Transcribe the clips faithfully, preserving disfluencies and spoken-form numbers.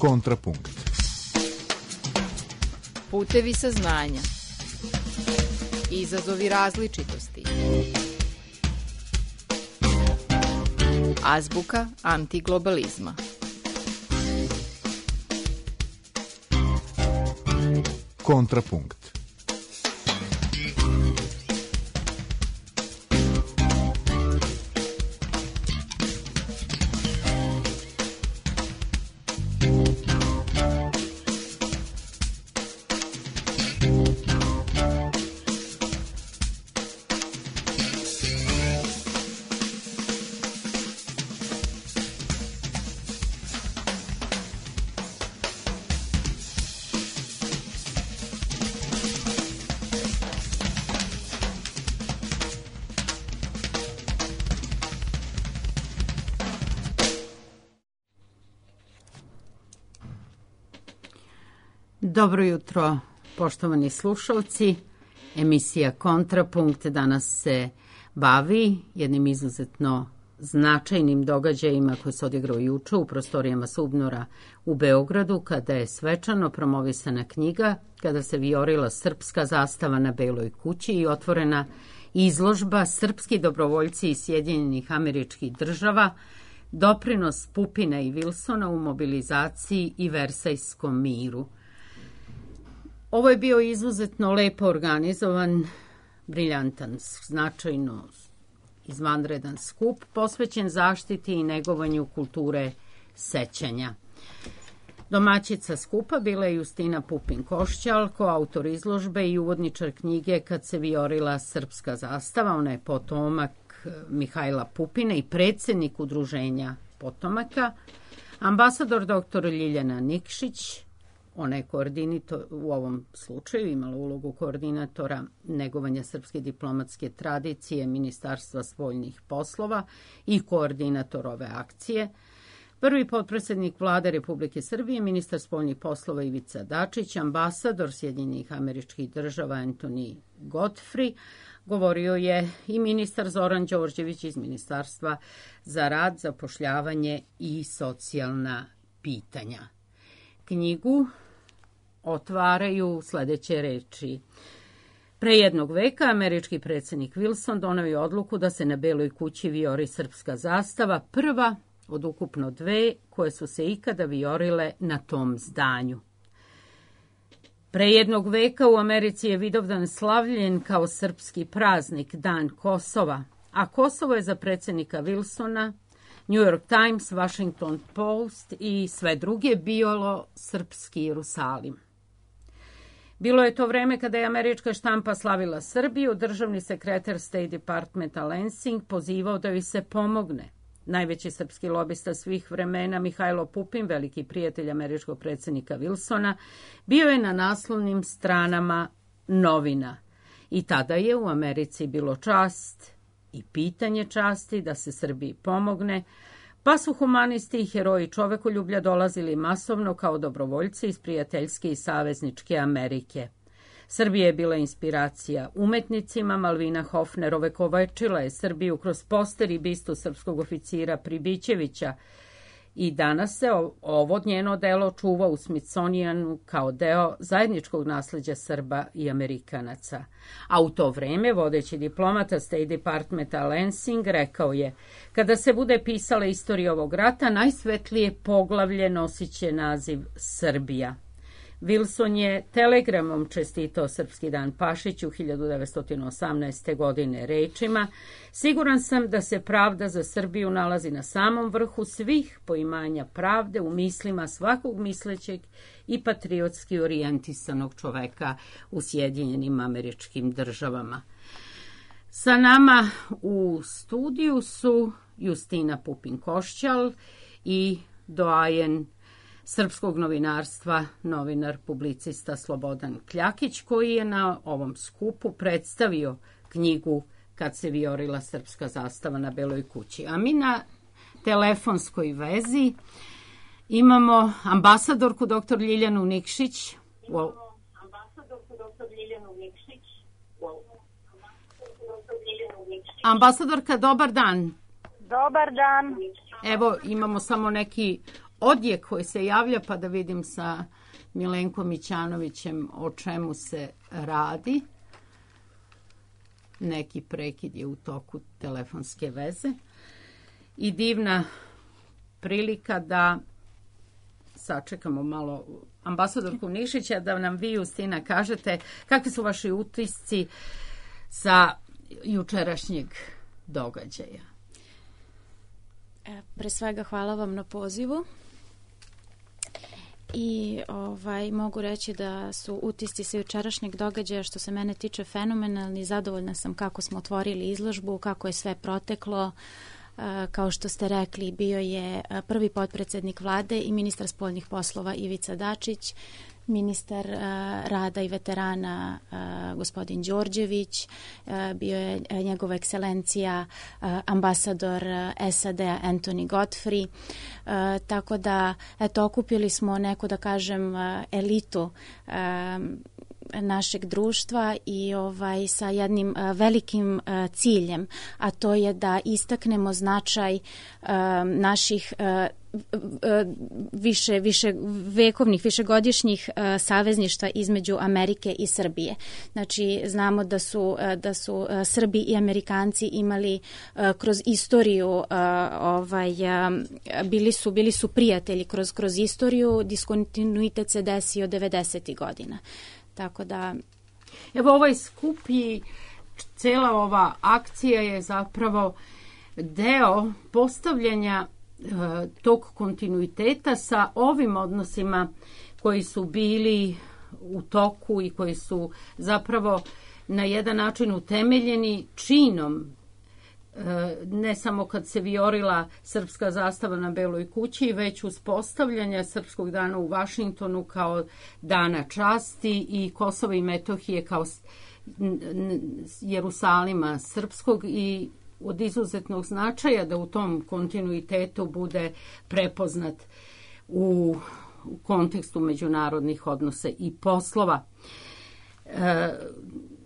Kontrapunkt. Putevi saznanja. Izazovi različitosti. Azbuka antiglobalizma. Kontrapunkt. Dobro jutro, poštovani slušalci. Emisija Kontrapunkt danas se bavi jednim izuzetno značajnim događajima koji se odigrao juče u prostorijama Subnora u Beogradu, kada je svečano promovisana knjiga Kada se vijorila srpska zastava na Beloj kući i otvorena izložba Srpski dobrovoljci iz Sjedinjenih Američkih Država, doprinos Pupina i Wilsona u mobilizaciji i Versajskom miru. Ovo je bio izuzetno lepo organizovan, briljantan, značajno izvanredan skup posvećen zaštiti i negovanju kulture sećanja. Domaćica skupa bila je Justina Pupin-Košćal, koautor izložbe i uvodničar knjige Kad se vijorila srpska zastava. Ona je potomak Mihajla Pupina i predsjednik udruženja potomaka. Ambasador doktor Ljiljana Nikšić, ona je koordinator, u ovom slučaju imala ulogu koordinatora negovanja srpske diplomatske tradicije Ministarstva spoljnih poslova i koordinator ove akcije. Prvi potpredsjednik Vlade Republike Srbije, ministar spoljnih poslova Ivica Dačić, ambasador Sjedinjenih Američkih Država Anthony Godfrey, govorio je i ministar Zoran Đorđević iz Ministarstva za rad, zapošljavanje i socijalna pitanja. Knjigu otvaraju sledeće reči. Pre jednog veka američki predsjednik Wilson doneo je odluku da se na Beloj kući vijori srpska zastava, prva od ukupno dve koje su se ikada vijorile na tom zdanju. Pre jednog veka u Americi je Vidovdan slavljen kao srpski praznik, Dan Kosova, a Kosovo je za predsjednika Wilsona, New York Times, Washington Post i sve druge bilo srpski Jerusalim. Bilo je to vreme kada je američka štampa slavila Srbiju, državni sekretar State Departmenta Lansing pozivao da joj se pomogne. Najveći srpski lobista svih vremena, Mihajlo Pupin, veliki prijatelj američkog predsjednika Wilsona, bio je na naslovnim stranama novina. I tada je u Americi bilo čast i pitanje časti da se Srbiji pomogne, pa su humanisti i heroji čovekoljublja dolazili masovno kao dobrovoljci iz prijateljske i savezničke Amerike. Srbija je bila inspiracija umetnicima, Malvina Hofner ovekovečila je Srbiju kroz poster i bistu srpskog oficira Pribićevića i danas se ovo njeno delo čuva u Smithsonianu kao deo zajedničkog nasleđa Srba i Amerikanaca. A u to vreme vodeći diplomata State Departmenta Lansing rekao je: kada se bude pisala istorija ovog rata, najsvetlije poglavlje nosiće naziv Srbija. Wilson je telegramom čestitao Srpski dan Pašiću hiljadu devetsto osamnaeste. godine rečima: siguran sam da se pravda za Srbiju nalazi na samom vrhu svih poimanja pravde u mislima svakog mislećeg i patriotski orijentisanog čoveka u Sjedinjenim Američkim Državama. Sa nama u studiju su Justina Pupin-Košćal i doajen srpskog novinarstva, novinar, publicista Slobodan Kljakić, koji je na ovom skupu predstavio knjigu Kad se vijorila srpska zastava na Beloj kući. A mi na telefonskoj vezi imamo ambasadorku doktor Ljiljanu Nikšić. Wow. Ambasadorka, dobar dan. Dobar dan. Evo, imamo samo neki odjek koji se javlja, pa da vidim sa Milenkom Mićanovićem o čemu se radi. Neki prekid je u toku telefonske veze. I divna prilika da sačekamo malo ambasadorku Nikšića, da nam vi, Justina, kažete kakvi su vaši utisci sa jučerašnjeg događaja. Pre svega hvala vam na pozivu i ovaj, mogu reći da su utisci sa jučerašnjeg događaja što se mene tiče fenomenalni. Zadovoljna sam kako smo otvorili izložbu, kako je sve proteklo. Kao što ste rekli, bio je prvi potpredsednik vlade i ministar spoljnih poslova Ivica Dačić, ministar rada i veterana gospodin Đorđević, bio je njegova ekscelencija ambasador S A D-a Anthony Godfrey, tako da eto, okupili smo neku, da kažem, elitu našeg društva i ovaj sa jednim uh, velikim uh, ciljem, a to je da istaknemo značaj uh, naših uh, više, više vekovnih, višegodišnjih uh, savezništva između Amerike i Srbije. Znači, znamo da su, uh, da su uh, Srbi i Amerikanci imali uh, kroz istoriju, uh, ovaj, uh, bili su, bili su prijatelji kroz, kroz istoriju, diskontinuitet se desio devedesetih godina. Tako da... Evo, ovaj skup i cela ova akcija je zapravo deo postavljanja e, tog kontinuiteta sa ovim odnosima koji su bili u toku i koji su zapravo na jedan način utemeljeni činom, ne samo kad se vijorila srpska zastava na Beloj kući, već uspostavljanja Srpskog dana u Vašingtonu kao dana časti i Kosova i Metohije kao Jerusalima srpskog i od izuzetnog značaja da u tom kontinuitetu bude prepoznat u kontekstu međunarodnih odnosa i poslova. E,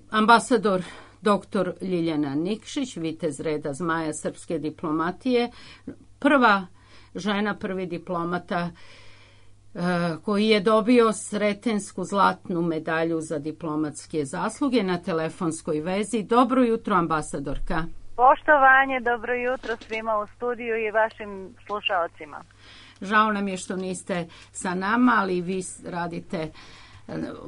ambasador doktor Ljiljana Nikšić, vitez reda zmaja srpske diplomatije, prva žena, prvi diplomata uh, koji je dobio Sretensku zlatnu medalju za diplomatske zasluge, na telefonskoj vezi. Dobro jutro, ambasadorka. Poštovanje, dobro jutro svima u studiju i vašim slušaocima. Žao nam je što niste sa nama, ali vi radite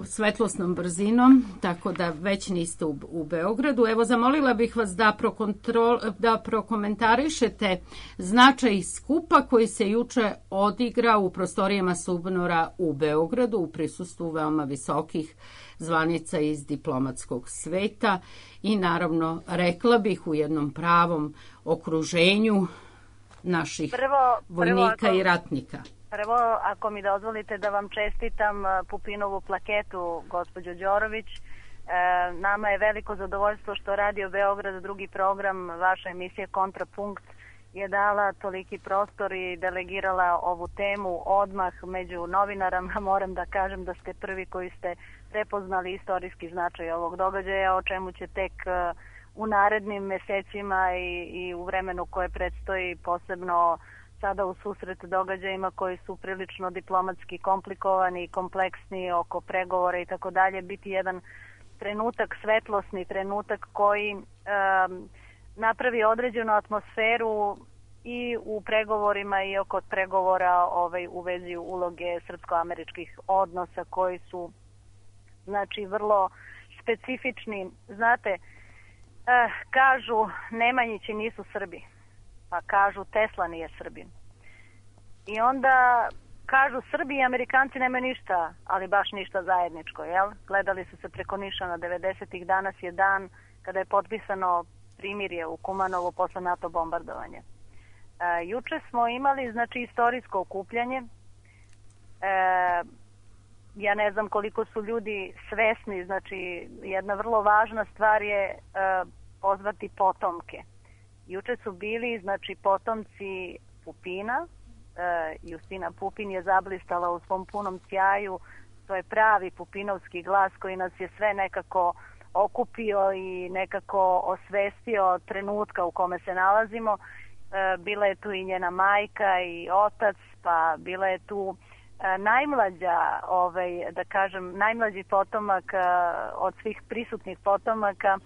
svetlosnom brzinom, tako da već niste u, u Beogradu. Evo, zamolila bih vas da, prokontrol, da prokomentarišete značaj skupa koji se juče odigra u prostorijama Subnora u Beogradu u prisustvu veoma visokih zvanica iz diplomatskog sveta i naravno, rekla bih, u jednom pravom okruženju naših prvo, vojnika prvo, i ratnika. Prvo, ako mi dozvolite da vam čestitam Pupinovu plaketu, gospođo Đorović. E, nama je veliko zadovoljstvo što Radio Beograd, drugi program, vaša emisija Kontrapunkt, je dala toliki prostor i delegirala ovu temu odmah među novinarama. Moram da kažem da ste prvi koji ste prepoznali istorijski značaj ovog događaja, o čemu će tek u narednim mesecima i, i u vremenu koje predstoji, posebno sada u susret događajima koji su prilično diplomatski komplikovani i kompleksni oko pregovora i tako dalje, biti jedan trenutak, svetlosni trenutak koji um, napravi određenu atmosferu i u pregovorima i oko pregovora ovaj, u vezi uloge srpsko-američkih odnosa koji su, znači, vrlo specifični. Znate, eh, kažu Nemanjići nisu Srbi, pa kažu Tesla nije Srbin. I onda kažu Srbi i Amerikanci nemaju ništa, ali baš ništa zajedničko, jel? Gledali su se preko Nišana devedesetih, danas je dan kada je potpisano primirje u Kumanovu posle NATO bombardovanja. E, juče smo imali, znači, istorijsko okupljanje. E, ja ne znam koliko su ljudi svesni, znači, jedna vrlo važna stvar je e, pozvati potomke. Juče su bili, znači, potomci Pupina. E, Justina Pupin je zablistala u svom punom sjaju. To je pravi pupinovski glas koji nas je sve nekako okupio i nekako osvestio trenutka u kome se nalazimo. bila je tu i njena majka i otac, pa bila je tu najmlađa, ovaj, da kažem, najmlađi potomak od svih prisutnih potomaka,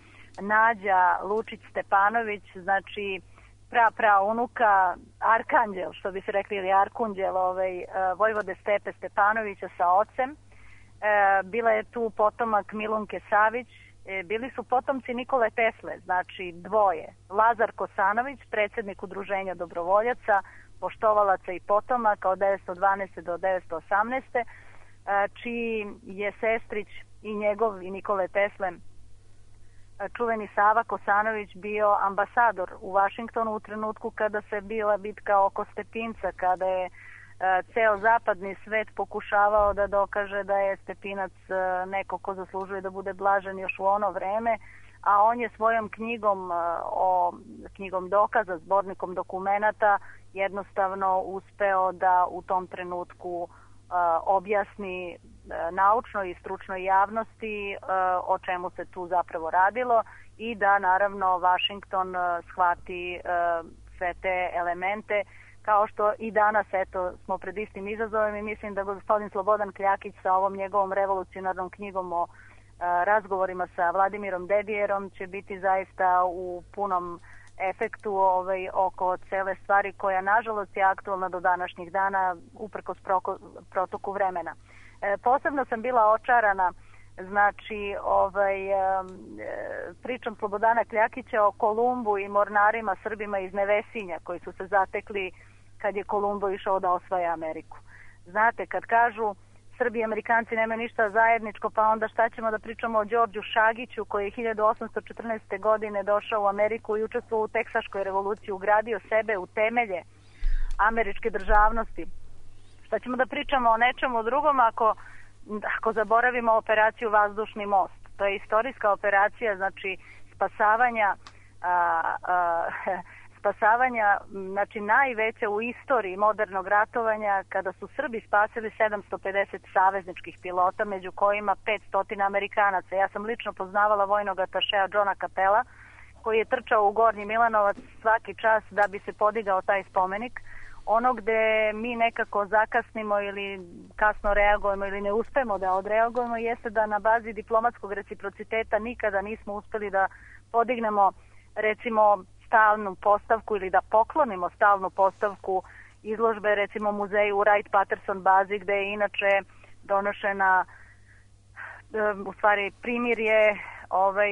Nađa Lučić Stepanović, znači pra pra unuka, arkanđel, što bi se rekli, ili arkunđel, ovaj, vojvode Stepe Stepanovića sa ocem. Bila je tu potomak Milunke Savić, bili su potomci Nikole Tesle, znači dvoje. Lazar Kosanović, predsjednik Udruženja dobrovoljaca, poštovalaca i potomaka od devetsto dvanaeste do devetsto osamnaeste, čiji je sestrić i njegov i Nikole Tesle čuveni Sava Kosanović bio ambasador u Vašingtonu u trenutku kada se bila bitka oko Stepinca, kada je ceo zapadni svet pokušavao da dokaže da je Stepinac neko ko zaslužuje da bude blažen još u ono vreme, a on je svojom knjigom o knjigom dokaza, zbornikom dokumenata jednostavno uspeo da u tom trenutku objasni naučnoj i stručnoj javnosti o čemu se tu zapravo radilo i da naravno Vašington shvati sve te elemente, kao što i danas eto smo pred istim izazovem i mislim da gospodin Slobodan Kljakić sa ovom njegovom revolucionarnom knjigom o razgovorima sa Vladimirom Dedijerom će biti zaista u punom efektu ovaj, oko cele stvari koja nažalost je aktualna do današnjih dana uprkos proko, protoku vremena. E, posebno sam bila očarana znači ovaj, e, pričom Slobodana Kljakića o Kolumbu i mornarima Srbima iz Nevesinja koji su se zatekli kad je Kolumbo išao da osvaja Ameriku. Znate, kad kažu Srbi i Amerikanci nemaju ništa zajedničko, pa onda šta ćemo da pričamo o Đorđu Šagiću koji je hiljadu osamsto četrnaeste. godine došao u Ameriku i učestvovao u Teksaškoj revoluciji, ugradio sebe u temelje američke državnosti. Šta ćemo da pričamo o nečemu drugom ako, ako zaboravimo operaciju Vazdušni most? To je istorijska operacija, znači spasavanja a, a, spasavanja, znači najveća u istoriji modernog ratovanja, kada su Srbi spasili sedamsto pedeset savezničkih pilota, među kojima petsto Amerikanaca. Ja sam lično poznavala vojnog atašeja Johna Capela, koji je trčao u Gornji Milanovac svaki čas da bi se podigao taj spomenik. Ono gde mi nekako zakasnimo ili kasno reagujemo ili ne uspemo da odreagujemo jeste da na bazi diplomatskog reciprociteta nikada nismo uspeli da podignemo recimo stalnu postavku ili da poklonimo stalnu postavku izložbe recimo muzeju u Wright-Patterson bazi gde je inače donošena u stvari primirje ovaj,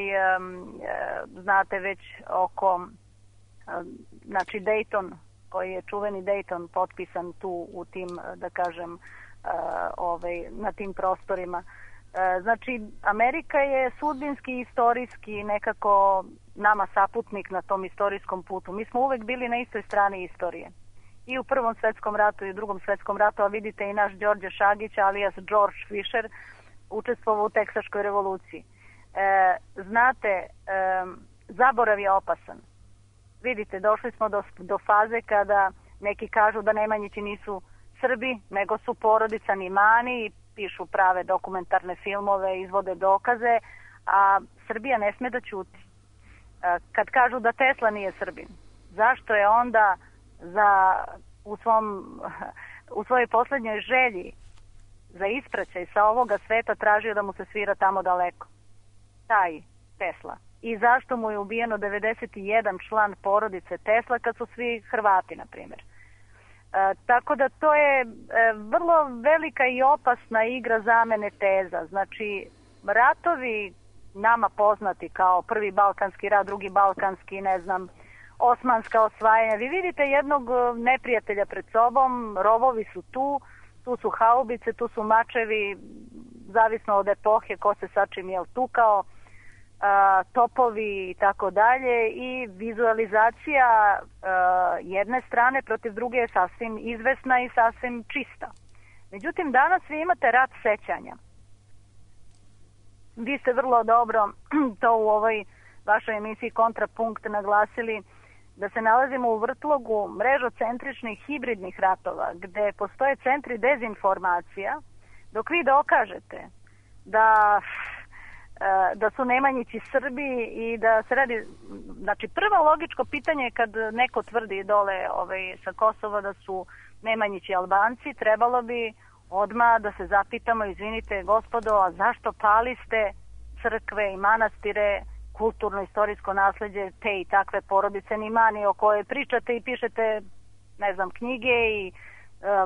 znate već oko znači Dayton, koji je čuveni Dayton potpisan tu u tim, da kažem, ovaj, na tim prostorima. Znači, Amerika je sudbinski, istorijski nekako nama saputnik na tom istorijskom putu. Mi smo uvek bili na istoj strani istorije. I u Prvom svetskom ratu i u Drugom svetskom ratu, a vidite i naš Đorđe Šagić, alias George Fisher, učestvovao u Teksaškoj revoluciji. E, znate, e, zaborav je opasan. Vidite, došli smo do, do faze kada neki kažu da Nemanjići nisu Srbi, nego su porodica Nimani i pišu prave dokumentarne filmove, izvode dokaze, a Srbija ne sme da ćuti. Kad kažu da Tesla nije Srbin, zašto je onda za, u, svom, u svojoj poslednjoj želji za ispraćaj sa ovoga sveta tražio da mu se svira tamo daleko? Taj Tesla. I zašto mu je ubijeno devedeset jedan član porodice Tesla kad su svi Hrvati, na primjer. E, tako da to je e, vrlo velika i opasna igra zamene teza. Znači, ratovi nama poznati kao prvi Balkanski rat, drugi Balkanski, ne znam, osmanska osvajanja. Vi vidite jednog neprijatelja pred sobom, rovovi su tu, tu su haubice, tu su mačevi, zavisno od epohe ko se sa čim je tukao, a, topovi i tako dalje, i vizualizacija a, jedne strane protiv druge je sasvim izvesna i sasvim čista. Međutim, danas vi imate rat sećanja. Vi ste vrlo dobro to u ovoj vašoj emisiji Kontrapunkt naglasili, da se nalazimo u vrtlogu mrežocentričnih hibridnih ratova, gde postoje centri dezinformacija, dok vi dokažete da da su Nemanjići Srbi i da se radi, znači prvo logičko pitanje je kad neko tvrdi dole ovaj, sa Kosova da su Nemanjići Albanci, trebalo bi odmah da se zapitamo, izvinite gospodo, a zašto paliste crkve i manastire, kulturno-istorijsko nasleđe te i takve porodice Nimani o kojoj pričate i pišete, ne znam, knjige i e,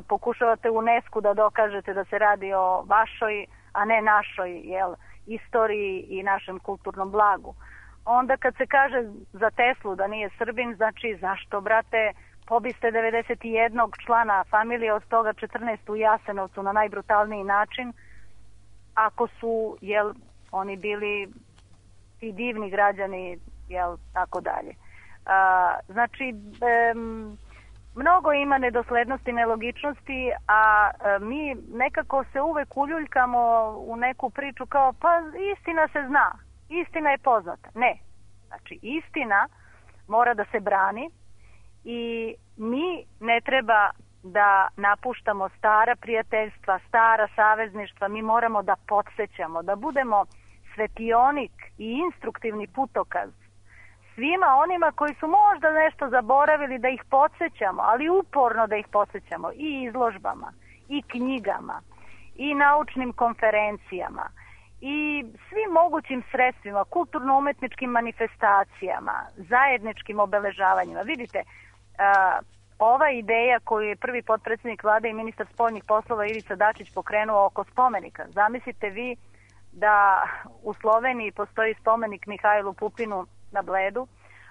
pokušavate u UNESCO da dokažete da se radi o vašoj, a ne našoj, jel, istoriji i našem kulturnom blagu. Onda kad se kaže za Teslu da nije Srbin, znači zašto, brate, pobiste devedeset jednog člana familije, od toga četrnaest u Jasenovcu na najbrutalniji način, ako su, jel, oni bili ti divni građani, jel, tako dalje. A, znači, em, mnogo ima nedoslednosti, nelogičnosti, a e, mi nekako se uvek uljuljkamo u neku priču kao, pa istina se zna, istina je poznata. Ne, znači istina mora da se brani i mi ne treba da napuštamo stara prijateljstva, stara savezništva, mi moramo da podsjećamo, da budemo svetionik i instruktivni putokaz svima onima koji su možda nešto zaboravili, da ih podsjećamo, ali uporno da ih podsjećamo i izložbama, i knjigama, i naučnim konferencijama, i svim mogućim sredstvima, kulturno-umetničkim manifestacijama, zajedničkim obeležavanjima. Vidite, a, ova ideja koju je prvi potpredsjednik vlade i ministar spoljnih poslova Ivica Dačić pokrenuo oko spomenika. Zamislite vi da u Sloveniji postoji spomenik Mihajlu Pupinu na Bledu,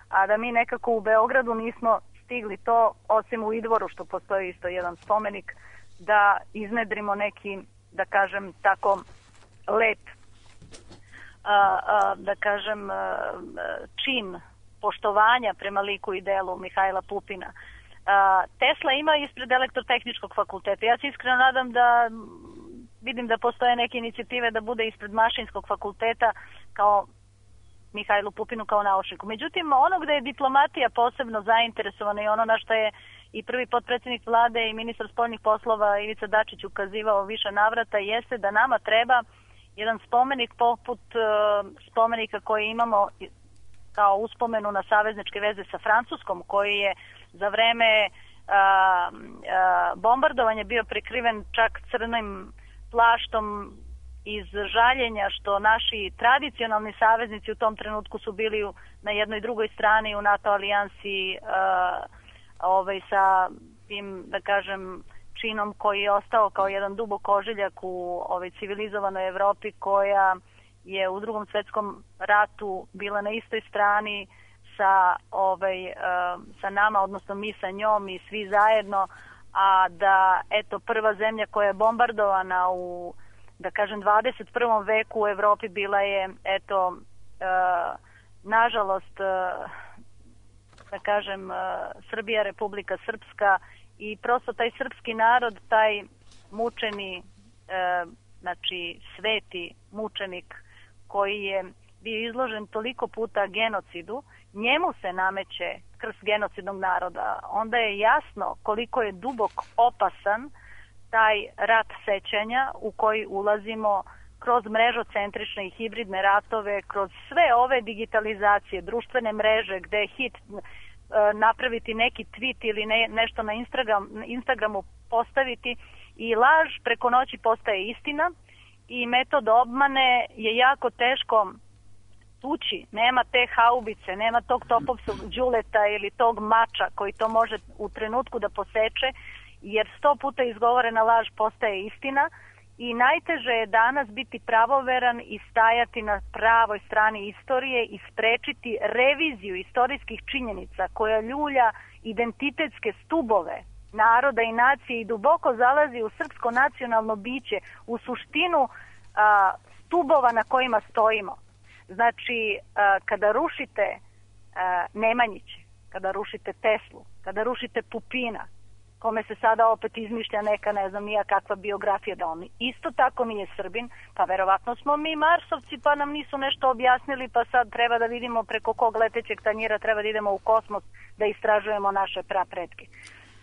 a da mi nekako u Beogradu nismo stigli to, osim u Idvoru što postoji isto jedan spomenik, da iznedrimo neki, da kažem tako, lep, a, a, da kažem, a, čin poštovanja prema liku i delu Mihajla Pupina. A, Tesla ima ispred Elektrotehničkog fakulteta. Ja se iskreno nadam da vidim da postoje neke inicijative da bude ispred Mašinskog fakulteta kao Mihajlu Pupinu kao naučniku. Međutim, ono gde je diplomatija posebno zainteresovana i ono na što je i prvi potpredsjednik vlade i ministar spoljnih poslova Ivica Dačić ukazivao više navrata jeste da nama treba jedan spomenik poput uh, spomenika koji imamo kao uspomenu na savezničke veze sa Francuskom, koji je za vreme uh, uh, bombardovanja bio prekriven čak crnim plaštom iz žaljenja što naši tradicionalni saveznici u tom trenutku su bili na jednoj i drugoj strani u NATO alijansi uh, ovaj, sa tim, da kažem, činom koji je ostao kao jedan dubok ožiljak u ovaj, civilizovanoj Evropi koja je u Drugom svetskom ratu bila na istoj strani sa, ovaj, uh, sa nama, odnosno mi sa njom i svi zajedno, a da eto prva zemlja koja je bombardovana u, da kažem, dvadeset prvom veku u Evropi bila je eto uh, nažalost uh, da kažem uh, Srbija, Republika Srpska, i prosto taj srpski narod, taj mučeni uh, znači sveti mučenik koji je bio izložen toliko puta genocidu, njemu se nameće krst genocidnog naroda. Onda je jasno koliko je dubok opasan taj rat sećanja u koji ulazimo kroz mrežocentrične i hibridne ratove, kroz sve ove digitalizacije, društvene mreže gde je hit e, napraviti neki tweet ili ne, nešto na Instagram, Instagramu postaviti i laž preko noći postaje istina i metod obmane je jako teško tući. Nema te haubice, nema tog topovskog đuleta ili tog mača koji to može u trenutku da poseče, jer sto puta izgovorena laž postaje istina i najteže je danas biti pravoveran i stajati na pravoj strani istorije i sprečiti reviziju istorijskih činjenica koja ljulja identitetske stubove naroda i nacije i duboko zalazi u srpsko nacionalno biće, u suštinu a, stubova na kojima stojimo. Znači, a, kada rušite a, Nemanjiće, kada rušite Teslu, kada rušite Pupina, kome se sada opet izmišlja neka, ne znam nija kakva biografija, da on isto tako nije Srbin, pa verovatno smo mi Marsovci pa nam nisu nešto objasnili, pa sad treba da vidimo preko kog letećeg tanjira treba da idemo u kosmos da istražujemo naše prapretke.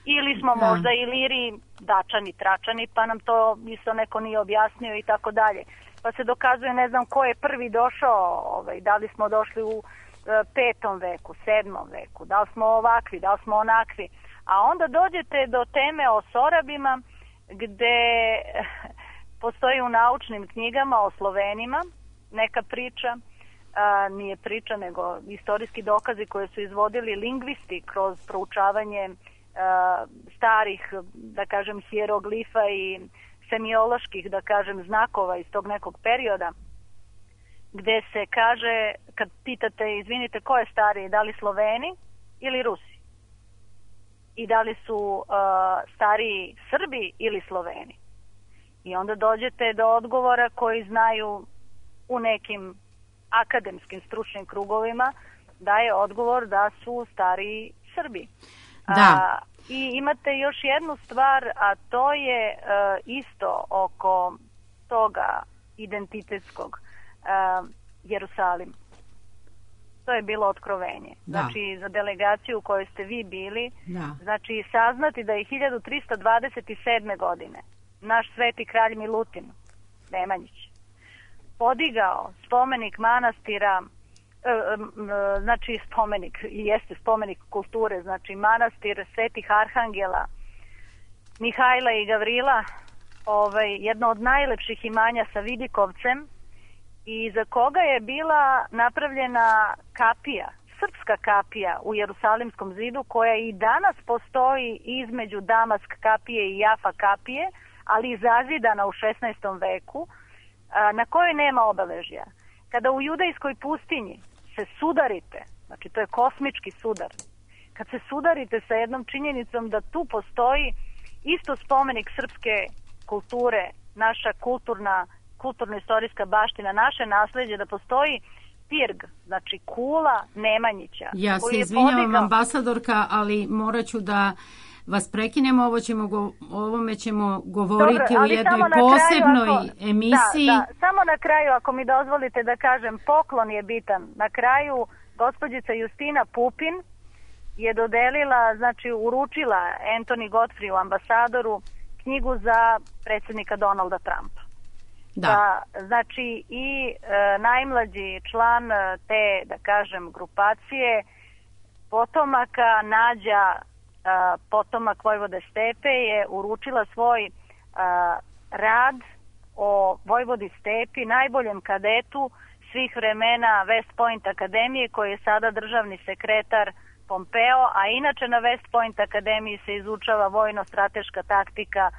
Ili smo da. možda Iliri, Dačani, Tračani, pa nam to isto neko nije objasnio i tako dalje. pa se dokazuje ne znam ko je prvi došao, ovaj, da li smo došli u e, petom veku, sedmom veku, da li smo ovakvi, da li smo onakvi. A onda dođete do teme o Sorabima, gde postoji u naučnim knjigama o Slovenima neka priča, a, nije priča nego istorijski dokazi koje su izvodili lingvisti kroz proučavanje a, starih, da kažem, hieroglifa i semioloških, da kažem, znakova iz tog nekog perioda, gde se kaže, kad pitate, izvinite, ko je stariji, da li Sloveni ili Rusi? I da li su uh, stariji Srbi ili Sloveni? I onda dođete do odgovora koji znaju u nekim akademskim stručnim krugovima, da je odgovor da su stariji Srbi. Da. Uh, I imate još jednu stvar, a to je uh, isto oko toga identitetskog, uh, Jerusalim. To je bilo otkrovenje. Da. Znači, za delegaciju u kojoj ste vi bili, Da. znači, saznati da je hiljadu trista dvadeset sedme. godine naš sveti kralj Milutin Nemanjić podigao spomenik manastira, e, e, znači spomenik, i jeste spomenik kulture, znači manastir svetih arhangela Mihajla i Gavrila, ovaj, jedno od najlepših imanja sa vidikovcem, i za koga je bila napravljena kapija, srpska kapija u Jerusalimskom zidu, koja i danas postoji između Damask kapije i Jafa kapije, ali zazidana u šesnaestom veku, na kojoj nema obeležja. Kada u judejskoj pustinji se sudarite, znači to je kosmički sudar, kad se sudarite sa jednom činjenicom da tu postoji isto spomenik srpske kulture, naša kulturna kulturno-istorijska baština, naše nasleđe, da postoji pirg, znači kula Nemanjića. Ja se izvinjavam, podigao... ambasadorka, ali morat ću da vas prekinemo, ovo ćemo go, ovome ćemo govoriti Dobro, u jednoj posebnoj kraju, ako, emisiji. Da, da, samo na kraju, ako mi dozvolite da kažem, poklon je bitan. Na kraju, gospođica Justina Pupin je dodelila, znači uručila Anthony Godfreyu, ambasadoru, knjigu za predsjednika Donalda Trumpa. Da. Da, znači i e, najmlađi član te, da kažem, grupacije potomaka Nađa, e, potomak Vojvode Stepe, je uručila svoj e, rad o Vojvodi Stepi, najboljem kadetu svih vremena West Point akademije, koji je sada državni sekretar Pompeo, a inače na West Point akademiji se izučava vojno-strateška taktika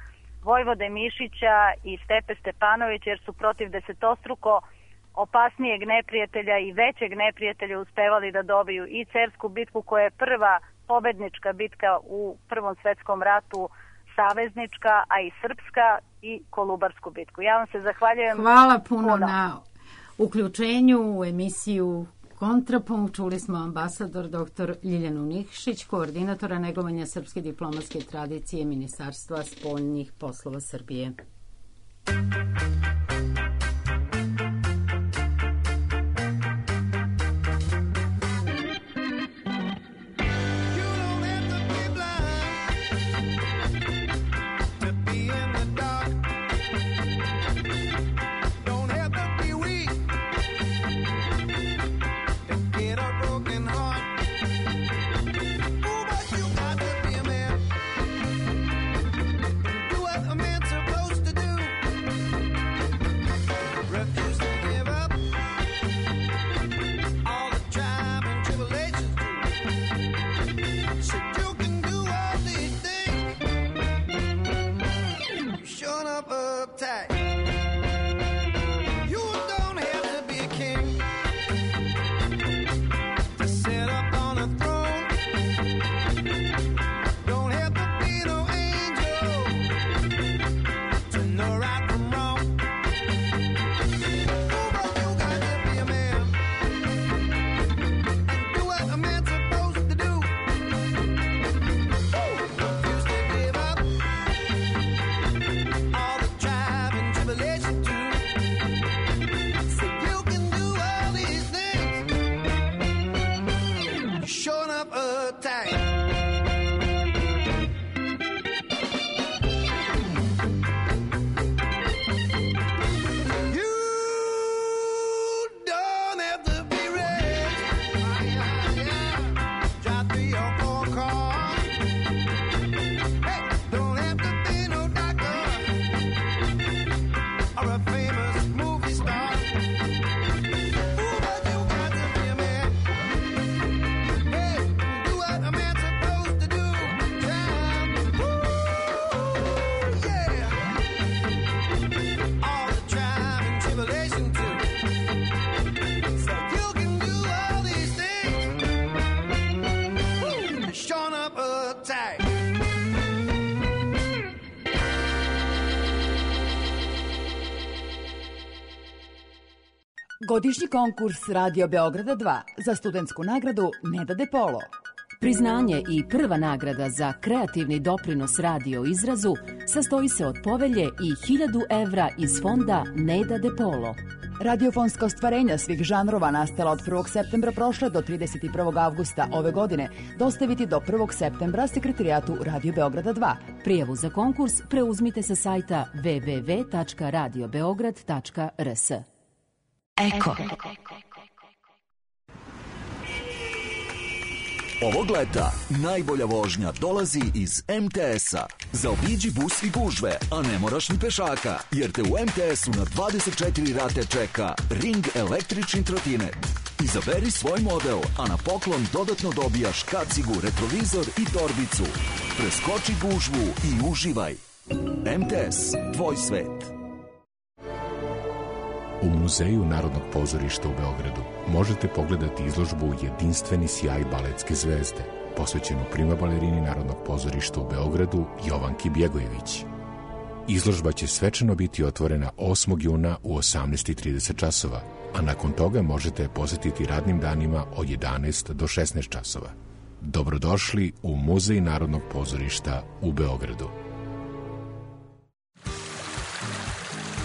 Vojvode Mišića i Stepe Stepanovića, jer su protiv desetostruko opasnijeg neprijatelja i većeg neprijatelja uspevali da dobiju i Cersku bitku, koja je prva pobednička bitka u Prvom svetskom ratu, saveznička, a i srpska, i Kolubarsku bitku. Ja vam se zahvaljujem. Hvala puno, puno. na uključenju u emisiju Kontrapunkt. Čuli smo ambasador doktor Ljiljanu Nikšić, koordinatora negovanja srpske diplomatske tradicije Ministarstva spoljnih poslova Srbije. Godišnji konkurs Radio Beograda dva za studentsku nagradu Neda De Polo. Priznanje i prva nagrada za kreativni doprinos radio izrazu sastoji se od povelje i hiljadu evra iz fonda Neda De Polo. Radiofonska ostvarenja svih žanrova nastala od prvog septembra prošle do trideset prvog avgusta ove godine dostaviti do prvog septembra sekretarijatu Radio Beograda dva. Prijavu za konkurs preuzmite sa sajta w w w tačka radio beograd tačka r s. Eko. Ovog leta najbolja vožnja dolazi iz em te es-a. Zaobiđi bus i gužve, a ne moraš ni pešaka, jer te u em te es-u na dvadeset četiri rate čeka Ring električni trotinet. Izaberi svoj model, a na poklon dodatno dobijaš kacigu, retrovizor i torbicu. Preskoči gužvu i uživaj. em te es, tvoj svet. U Muzeju Narodnog pozorišta u Beogradu možete pogledati izložbu Jedinstveni sjaj baletske zvezde, posvećenu prima balerini Narodnog pozorišta u Beogradu Jovanki Bjegojević. Izložba će svečano biti otvorena osmog juna u osamnaest i trideset časova, a nakon toga možete posetiti radnim danima od jedanaest do šesnaest časova. Dobrodošli u Muzej Narodnog pozorišta u Beogradu.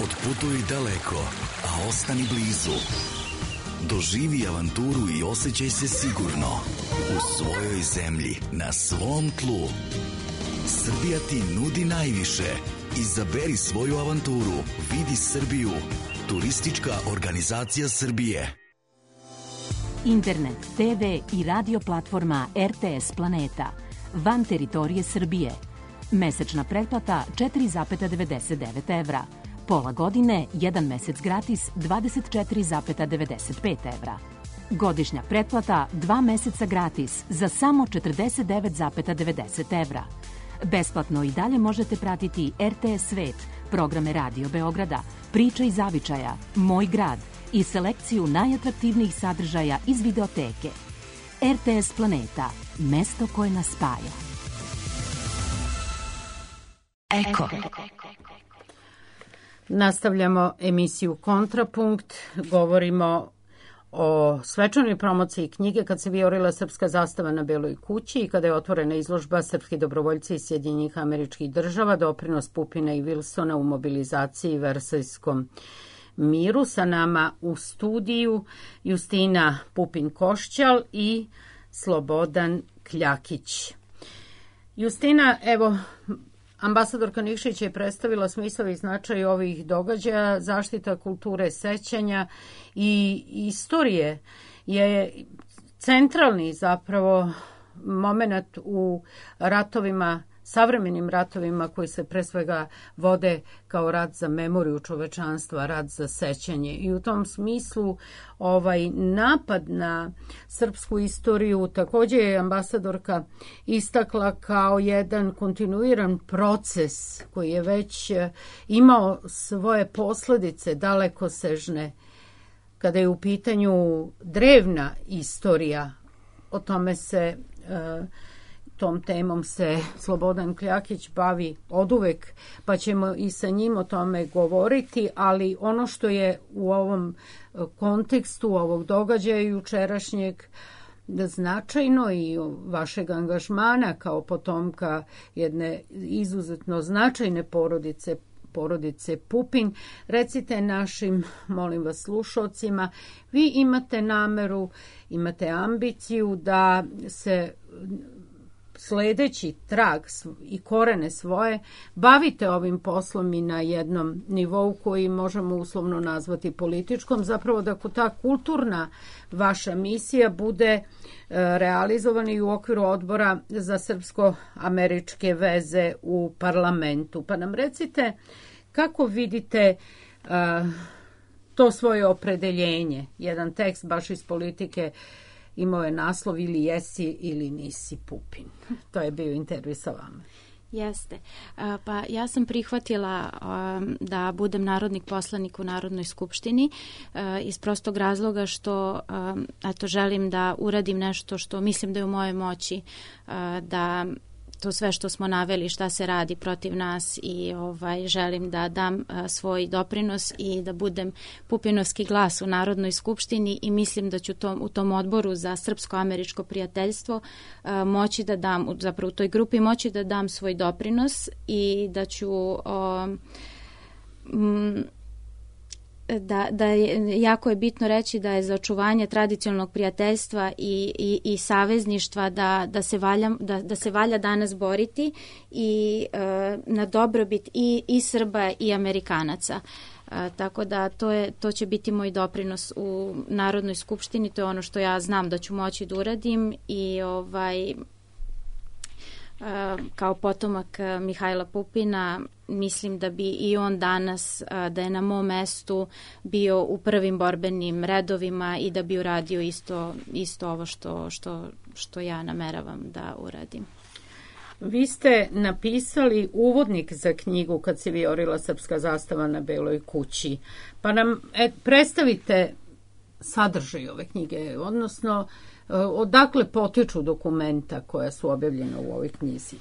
Otputuj daleko, a ostani blizu. Doživi avanturu i osjećaj se sigurno. U svojoj zemlji, na svom tlu. Srbija ti nudi najviše. Izaberi svoju avanturu. Vidi Srbiju. Turistička organizacija Srbije. Internet, te ve i radio platforma er te es Planeta. Van teritorije Srbije. Mesečna pretplata četiri zarez devedeset devet evra. Pola godine, jedan mesec gratis, dvadeset četiri zarez devedeset pet evra. Godišnja pretplata, dva meseca gratis, za samo četrdeset devet zarez devedeset evra. Besplatno i dalje možete pratiti er te es Svet, programe Radio Beograda, Priča iz zavičaja, Moj grad i selekciju najatraktivnijih sadržaja iz videoteke. er te es Planeta, mesto koje nas spaja. Eko. Nastavljamo emisiju Kontrapunkt, govorimo o svečanoj promociji knjige Kad se vijorila srpska zastava na Beloj kući i kada je otvorena izložba Srpski dobrovoljci iz Sjedinjenih Američkih Država, doprinos Pupina i Wilsona u mobilizaciji i Versajskom miru. Sa nama u studiju Justina Pupin-Košćal i Slobodan Kljakić. Justina, evo, ambasadorka Nikšić je predstavila smisao i značaj ovih događaja, zaštita kulture sećanja i istorije je centralni zapravo moment u ratovima, savremenim ratovima koji se pre svega vode kao rat za memoriju čovečanstva, rat za sećanje. I u tom smislu ovaj napad na srpsku istoriju također je ambasadorka istakla kao jedan kontinuiran proces koji je već imao svoje posljedice dalekosežne kada je u pitanju drevna istorija. O tome se tom temom se Slobodan Kljakić bavi oduvek, pa ćemo i sa njim o tome govoriti, ali ono što je u ovom kontekstu ovog događaja jučerašnjeg značajno i vašeg angažmana kao potomka jedne izuzetno značajne porodice, porodice Pupin, recite našim, molim vas, slušalcima, vi imate nameru, imate ambiciju da se sledeći trag i korene svoje, bavite ovim poslom i na jednom nivou koji možemo uslovno nazvati političkom, zapravo da ta kulturna vaša misija bude realizovana i u okviru odbora za srpsko-američke veze u parlamentu. Pa nam recite kako vidite uh, to svoje opredeljenje. Jedan tekst baš iz politike imao je naslov ili jesi ili nisi Pupin. To je bio intervju sa vama. Jeste. Pa ja sam prihvatila da budem narodnik poslanik u Narodnoj skupštini iz prostog razloga što eto, želim da uradim nešto što mislim da je u mojoj moći, da to sve što smo naveli, šta se radi protiv nas i ovaj, želim da dam a, svoj doprinos i da budem pupinovski glas u Narodnoj skupštini i mislim da ću tom, u tom odboru za srpsko-američko prijateljstvo a, moći da dam, zapravo u toj grupi moći da dam svoj doprinos i da ću a, m, Da, da je, jako je bitno reći da je za očuvanje tradicionalnog prijateljstva i, i, i savezništva da, da, se valja, da, da se valja danas boriti i e, na dobrobit i, i Srba i Amerikanaca. E, tako da to, je, to će biti moj doprinos u Narodnoj skupštini, to je ono što ja znam da ću moći da uradim i ovaj... kao potomak Mihajla Pupina mislim da bi i on danas, da je na mom mestu bio u prvim borbenim redovima i da bi uradio isto, isto ovo što, što, što ja nameravam da uradim. Vi ste napisali uvodnik za knjigu Kad se vijorila srpska zastava na Beloj kući. Pa nam et, predstavite sadržaj ove knjige, odnosno odakle potiču dokumenta koja su objavljena u ovoj knjizi?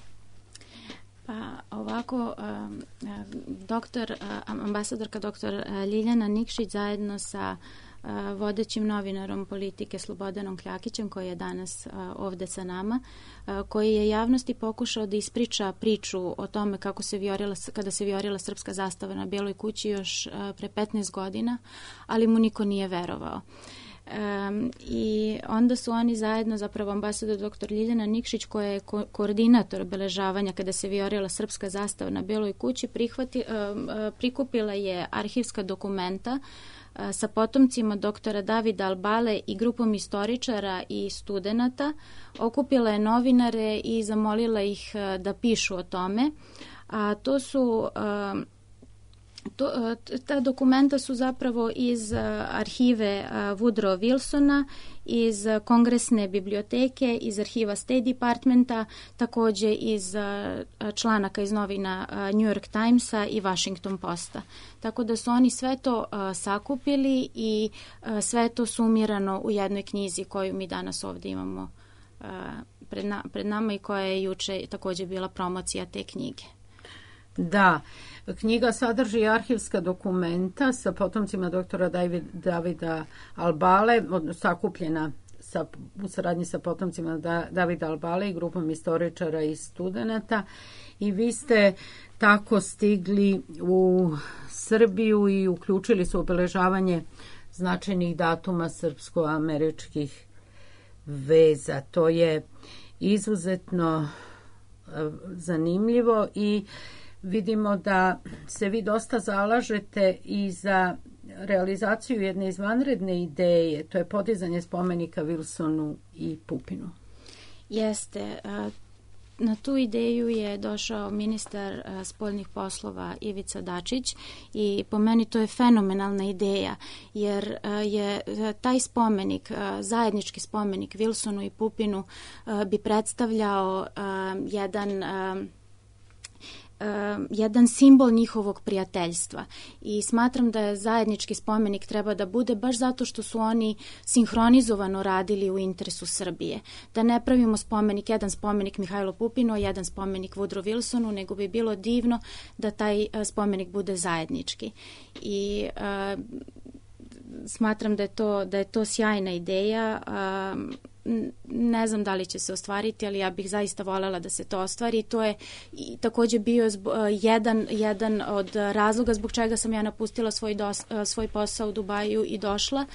Pa ovako, doktor, ambasadorka doktor Ljiljana Nikšić zajedno sa vodećim novinarom politike Slobodanom Kljakićem, koji je danas ovde sa nama, koji je javnosti pokušao da ispriča priču o tome kako se vijorila, kada se vijorila srpska zastava na Beloj kući još pre petnaest godina, ali mu niko nije verovao. Um, i onda su oni zajedno, zapravo ambasador doktor Ljiljana Nikšić, koja je ko- koordinator obeležavanja kada se vijorila srpska zastava na Beloj kući, prihvati, um, prikupila je arhivska dokumenta uh, sa potomcima doktora Davida Albale i grupom istoričara i studenata, okupila je novinare i zamolila ih uh, da pišu o tome. A to su... Uh, To, ta dokumenta su zapravo iz arhive Woodrow Wilsona, iz Kongresne biblioteke, iz arhiva State Departmenta, takođe iz članaka iz novina New York Timesa i Washington Posta. Tako da su oni sve to sakupili i sve to sumirano u jednoj knjizi koju mi danas ovde imamo pred, na, pred nama i koja je juče takođe bila promocija te knjige. Da, knjiga sadrži arhivska dokumenta sa potomcima doktora Davida Albale, sakupljena sa, u saradnji sa potomcima da, Davida Albale i grupom istoričara i studenata, i vi ste tako stigli u Srbiju i uključili su obeležavanje značajnih datuma srpsko-američkih veza. To je izuzetno zanimljivo i vidimo da se vi dosta zalažete i za realizaciju jedne izvanredne ideje, to je podizanje spomenika Wilsonu i Pupinu. Jeste. Na tu ideju je došao ministar spoljnih poslova Ivica Dačić i po meni to je fenomenalna ideja, jer je taj spomenik, zajednički spomenik Wilsonu i Pupinu bi predstavljao jedan Uh, jedan simbol njihovog prijateljstva i smatram da je zajednički spomenik treba da bude baš zato što su oni sinhronizovano radili u interesu Srbije. Da ne pravimo spomenik, jedan spomenik Mihajlo Pupinu, jedan spomenik Woodrow Wilsonu, nego bi bilo divno da taj uh, spomenik bude zajednički. I uh, smatram da je to, da je to sjajna ideja. Uh, ne znam da li će se ostvariti, ali ja bih zaista voljela da se to ostvari. To je i takođe bio zbo, jedan, jedan od razloga zbog čega sam ja napustila svoj, dos, svoj posao u Dubaju i došla,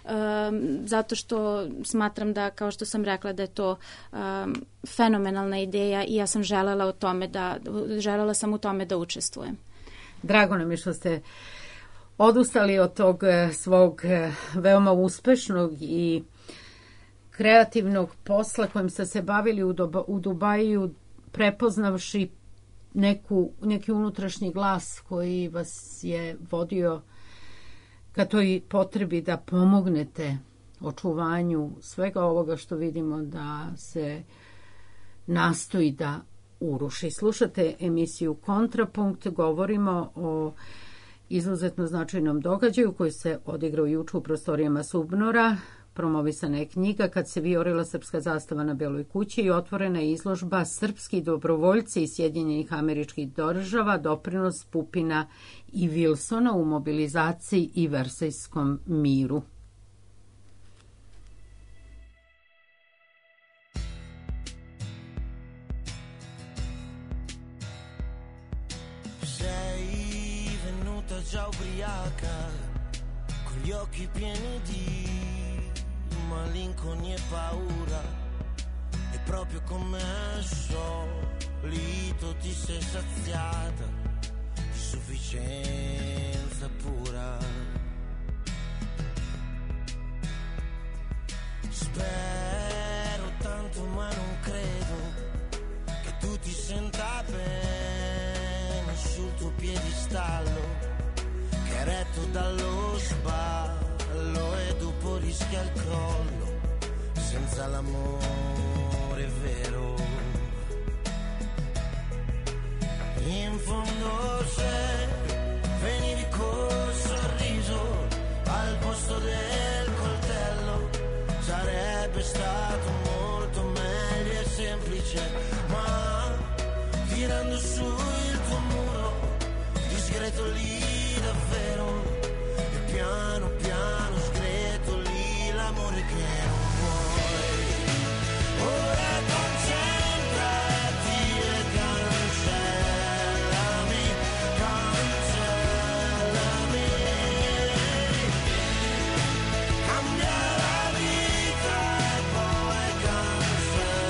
um, zato što smatram da, kao što sam rekla, da je to um, fenomenalna ideja i ja sam želela, o tome da, želela sam u tome da učestvujem. Drago nam je što ste odustali od tog svog veoma uspešnog i kreativnog posla kojim ste se bavili u, Doba, u Dubaju, prepoznavši neku, neki unutrašnji glas koji vas je vodio ka toj potrebi da pomognete očuvanju svega ovoga što vidimo da se nastoji da uruši. Slušate emisiju Kontrapunkt, govorimo o izuzetno značajnom događaju koji se odigrao juče u prostorijama Subnora promovisana je knjiga Kad se vijorila srpska zastava na Beloj kući i otvorena je izložba Srpski dobrovoljci iz Sjedinjenih Američkih Država, doprinos Pupina i Wilsona u mobilizaciji i Versajskom miru. Già ubriaca, con gli occhi pieni di malinconia e paura, e proprio come al solito ti sei saziata di sufficienza pura. Spero tanto ma non credo che tu ti senta bene sul tuo piedistallo, retto dallo sballo, e dopo rischia il crollo senza l'amore vero. In fondo se venivi col sorriso al posto del coltello sarebbe stato molto meglio e semplice, ma tirando su il tuo muro discreto lì davvero, e piano piano screto lì l'amore che non vuoi. Ora concentrati e cancellami, cancellami, cambia la vita e poi cancellami.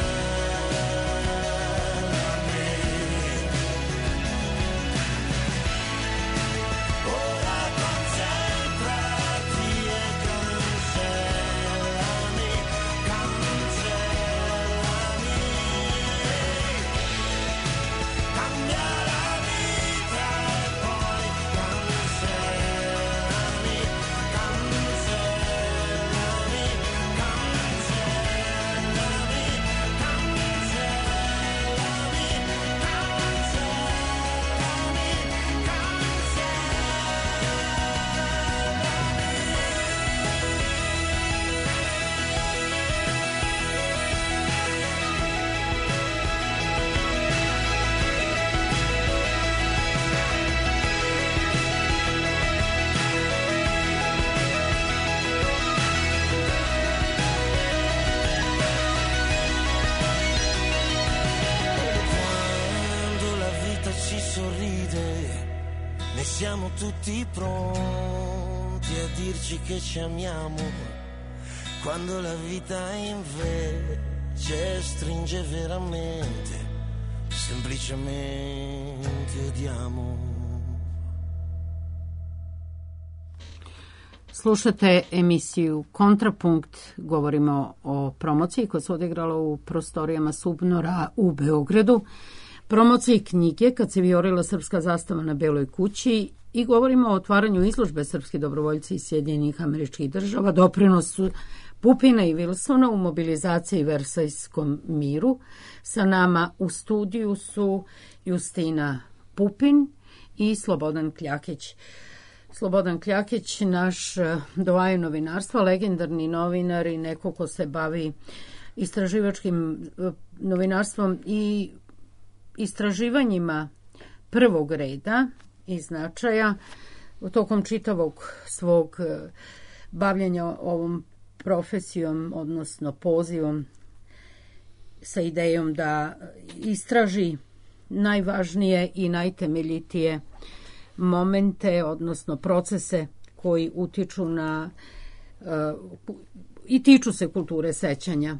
Siamo tutti pronti a dirci che ci amiamo, quando la vita invece stringe veramente, semplicemente odiamo. Slušate emisiju Kontrapunkt, govorimo o promociji koja se odigrala u prostorijama Subnora u Beogradu, promociji knjige Kad se vijorila srpska zastava na Beloj kući i govorimo o otvaranju izložbe Srpski dobrovoljci iz Sjedinjenih Američkih Država, doprinosu Pupina i Wilsona u mobilizaciji i Versajskom miru. Sa nama u studiju su Justina Pupin i Slobodan Kljakić. Slobodan Kljakić, naš doajen novinarstva, legendarni novinar i neko ko se bavi istraživačkim novinarstvom i istraživanjima prvog reda i značaja u tokom čitavog svog bavljenja ovom profesijom, odnosno pozivom sa idejom da istraži najvažnije i najtemeljitije momente, odnosno procese koji utiču na uh, i tiču se kulture sećanja.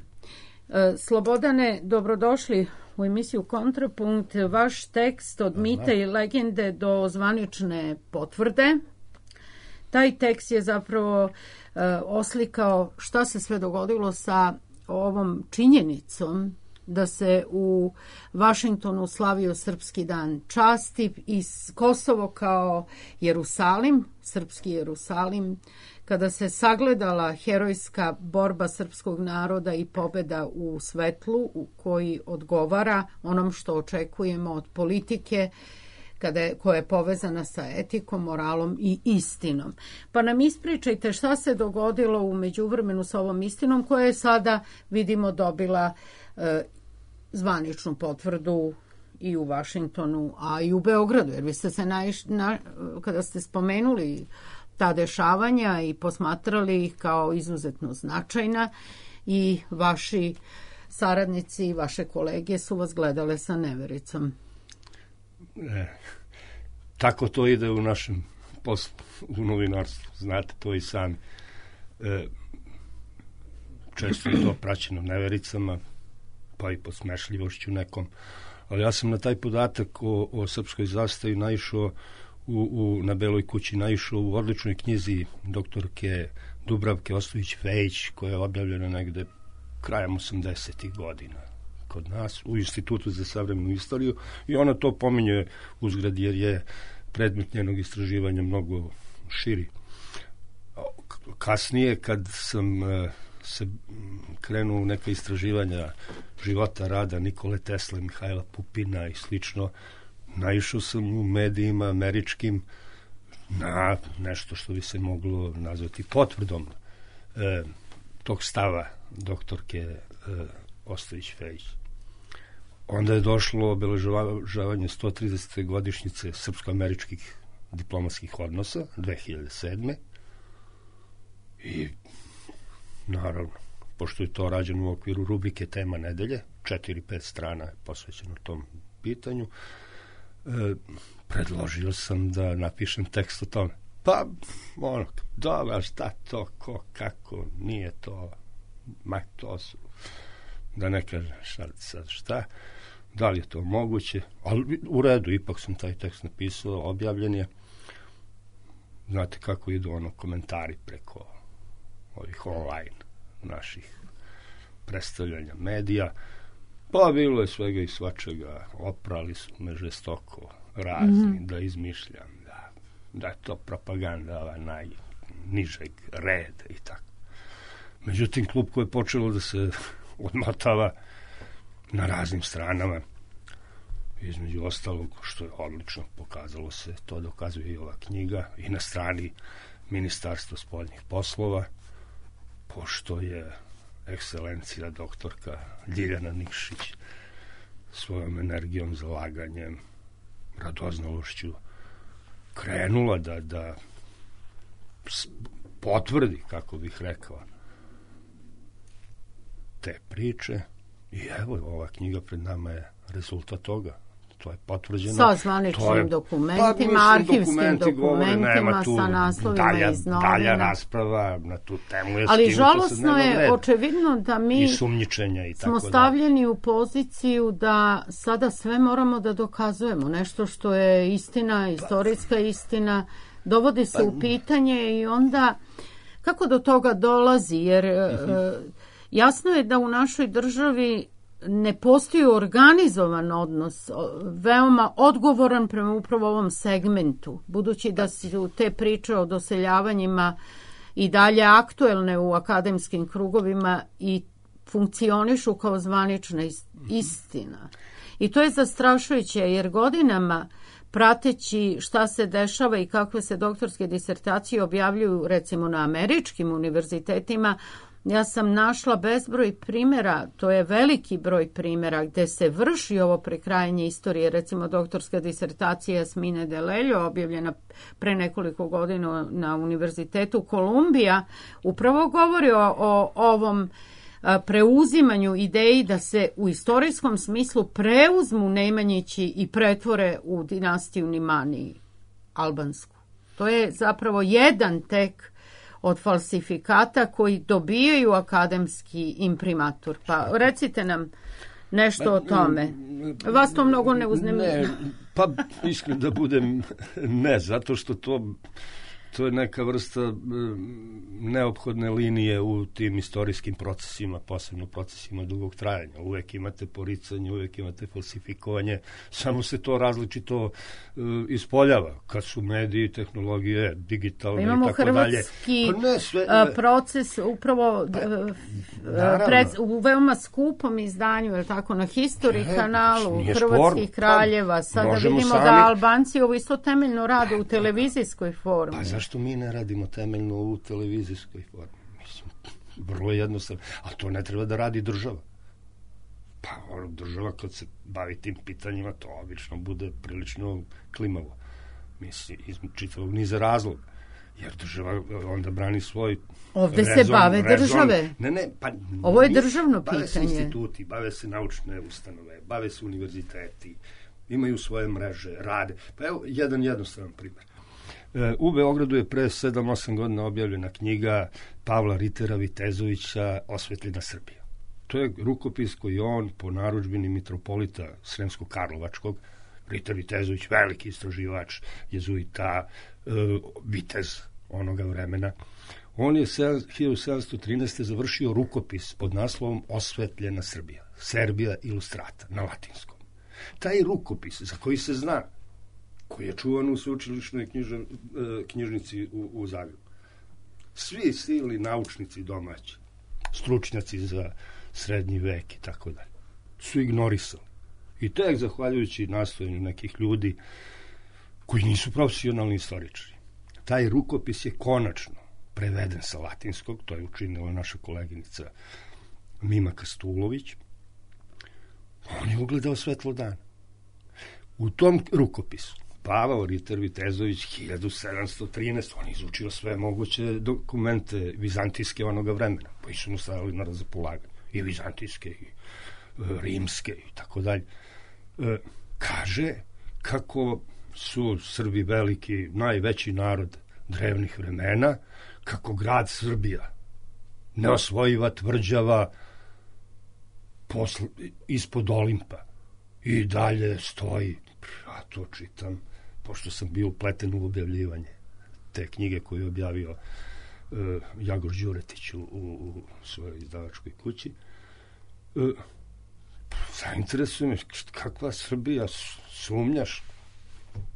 Uh, Slobodane, dobrodošli u emisiju Kontrapunkt. Vaš tekst od mite i legende do zvanične potvrde. Taj tekst je zapravo uh, oslikao šta se sve dogodilo sa ovom činjenicom da se u Vašingtonu slavio Srpski dan časti i Kosovo kao Jerusalim, srpski Jerusalim, kada se sagledala herojska borba srpskog naroda i pobeda u svetlu u koji odgovara onom što očekujemo od politike kada je, koja je povezana sa etikom, moralom i istinom. Pa nam ispričajte šta se dogodilo u međuvremenu sa ovom istinom koja je sada, vidimo, dobila e, zvaničnu potvrdu i u Vašingtonu, a i u Beogradu, jer vi ste se naiš, na, kada ste spomenuli ta dešavanja i posmatrali ih kao izuzetno značajna i vaši saradnici i vaše kolege su vas gledale sa nevericom. E, tako to ide u našem poslu, u novinarstvu. Znate to i sami. E, često je to praćeno nevericama, pa i posmešljivošću nekom. Ali ja sam na taj podatak o, o srpskoj zastavi naišao u, u, na Beloj kući, naišao u odličnoj knjizi doktorke Dubravke Ostojić-Fejić, koja je objavljena negde krajem osamdesetih godina kod nas u Institutu za savremenu istoriju, i ona to pominje uzgrad jer je predmet njenog istraživanja mnogo širi. Kasnije, kad sam se krenuo u neka istraživanja života, rada Nikole Tesle, Mihajla Pupina i slično, naišao sam u medijima američkim na nešto što bi se moglo nazvati potvrdom e, tog stava doktorke e, Ostojić-Fejić. Onda je došlo obeležavanje sto tridesete godišnjice srpsko-američkih diplomatskih odnosa dve hiljade sedme. I naravno, pošto je to rađeno u okviru rubrike Tema nedelje, četiri pet strana je posvećeno tom pitanju, e, predložio sam da napišem tekst o tome. Pa, ono, dobra, šta to, ko, kako, nije to, ma to su, da ne kažem šta, sad šta, da li je to moguće, ali u redu, ipak sam taj tekst napisao, objavljen je. Znate kako idu ono komentari preko ovih online naših predstavljanja medija, pa bilo je svega i svačega, oprali su me žestoko razni, mm-hmm. da izmišljam, da, da je to propaganda ova najnižeg reda i tako. Međutim, klub koji je počelo da se odmotava na raznim stranama, između ostalog, što je odlično pokazalo se, to dokazuje i ova knjiga, i na strani Ministarstva spoljnih poslova, pošto je ekscelencija doktorka Ljiljana Nikšić svojom energijom, zalaganjem, radoznalošću krenula da, da potvrdi, kako bih rekao, te priče. I evo, ova knjiga pred nama je rezultat toga. To je potvrđeno. Sa zvaničnim je, dokumentima, pa, arhivskim dokumentima, govore, sa naslovima dalja, iz novina. Dalja rasprava na tu temu je. Ali žalosno je, reda. Očevidno da mi i sumnjičenja i smo tako stavljeni da. U poziciju da sada sve moramo da dokazujemo. Nešto što je istina, istorijska istina, dovodi se pa, u pitanje i onda kako do toga dolazi? Jer uh-huh. jasno je da u našoj državi ne postoji organizovan odnos, veoma odgovoran prema upravo ovom segmentu, budući da su te priče o doseljavanjima i dalje aktuelne u akademskim krugovima i funkcionišu kao zvanična istina. I to je zastrašujuće, jer godinama prateći šta se dešava i kakve se doktorske disertacije objavljuju recimo na američkim univerzitetima, ja sam našla bezbroj primjera, to je veliki broj primjera gde se vrši ovo prekrajanje istorije, recimo doktorska disertacija Jasmine Deleljo, objavljena pre nekoliko godina na Univerzitetu Kolumbija, upravo govori o, o ovom preuzimanju ideji da se u istorijskom smislu preuzmu Nemanjići i pretvore u dinastiju Nimani albansku. To je zapravo jedan tek od falsifikata koji dobijaju akademski imprimatur. Pa recite nam nešto o tome. Vas to mnogo ne uznemiruje? Pa iskreno da budem ne, zato što to To je neka vrsta e, neophodne linije u tim istorijskim procesima, posebno procesima dugog trajanja. Uvek imate poricanje, uvek imate falsifikovanje, samo se to različito e, ispoljava. Kad su mediji, tehnologije, digitalne i tako dalje. Imamo hrvatski pa ne, sve, a, proces upravo pa, a, pred, u veoma skupom izdanju, je tako, na History ne, kanalu Hrvatskih kraljeva. Sada vidimo sami... da Albanci ovo isto temeljno rade u televizijskoj formi. Pa zašto mi ne radimo temeljno u televizijskoj formi? Mislim, vrlo jednostavno. A to ne treba da radi država. Pa država kad se bavi tim pitanjima, to obično bude prilično klimavo. Mislim, iz čitavog niza razloga. Jer država onda brani svoj Ovde rezon, se bave rezon. države. Ne, ne, pa ovo je državno bave pitanje. Se instituti, bave se naučne ustanove, bave se univerziteti, imaju svoje mreže, rade. Pa evo, jedan jednostavan primjer. U Beogradu je pre sedam osam godina objavljena knjiga Pavla Ritera Vitezovića Osvetljena Srbija. To je rukopis koji on po narudžbini mitropolita Sremsko-Karlovačkog, Riter Vitezović, veliki istraživač, jezuita, e, vitez onoga vremena. On je hiljadu sedamsto trinaeste. završio rukopis pod naslovom Osvetljena Srbija, Serbia Illustrata, na latinskom. Taj rukopis, za koji se zna, koji je čuvan u sveučilišnoj knjiža, knjižnici u, u Zagrebu. Svi silni naučnici domaći, stručnjaci za srednji vek i tako dalje, su ignorisali. I tek zahvaljujući nastojanju nekih ljudi koji nisu profesionalni istoričari. Taj rukopis je konačno preveden sa latinskog, to je učinila naša koleginica Mima Kastulović. On je ugledao svetlo dana. U tom rukopisu Pavao Riter Vitezović hiljadu sedamsto trinaeste. on je izučio sve moguće dokumente vizantijske onoga vremena, koji su mu stavili na razpolaganje. I vizantijske, i e, rimske, i tako dalje. E, kaže kako su Srbi veliki, najveći narod drevnih vremena, kako grad Srbija, neosvojiva tvrđava posl, ispod Olimpa, i dalje stoji. Ja to čitam, pošto sam bio upleten u objavljivanje te knjige koju je objavio uh, Jagor Đuretić u, u, u svojoj izdavačkoj kući. Uh, zainteresuje me kakva Srbija, sumnjaš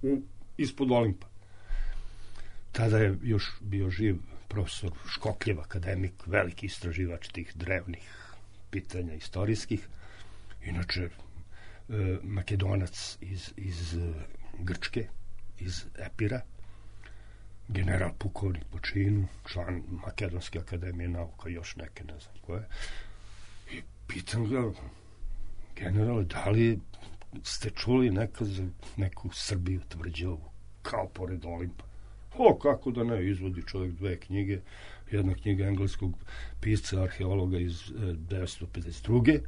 u, ispod Olimpa. Tada je još bio živ profesor Škokljev, akademik, veliki istraživač tih drevnih pitanja istorijskih. Inače, Makedonac iz, iz Grčke, iz Epira, general pukovnik po činu, član Makedonske akademije nauka, još neke, ne znam koje. I pitam ga, generale, da li ste čuli nekad za neku Srbiju tvrđavu, kao pored Olimpa? O, kako da ne, izvodi čovjek dve knjige, jedna knjiga engleskog pisca, arheologa iz devetsto pedeset druge.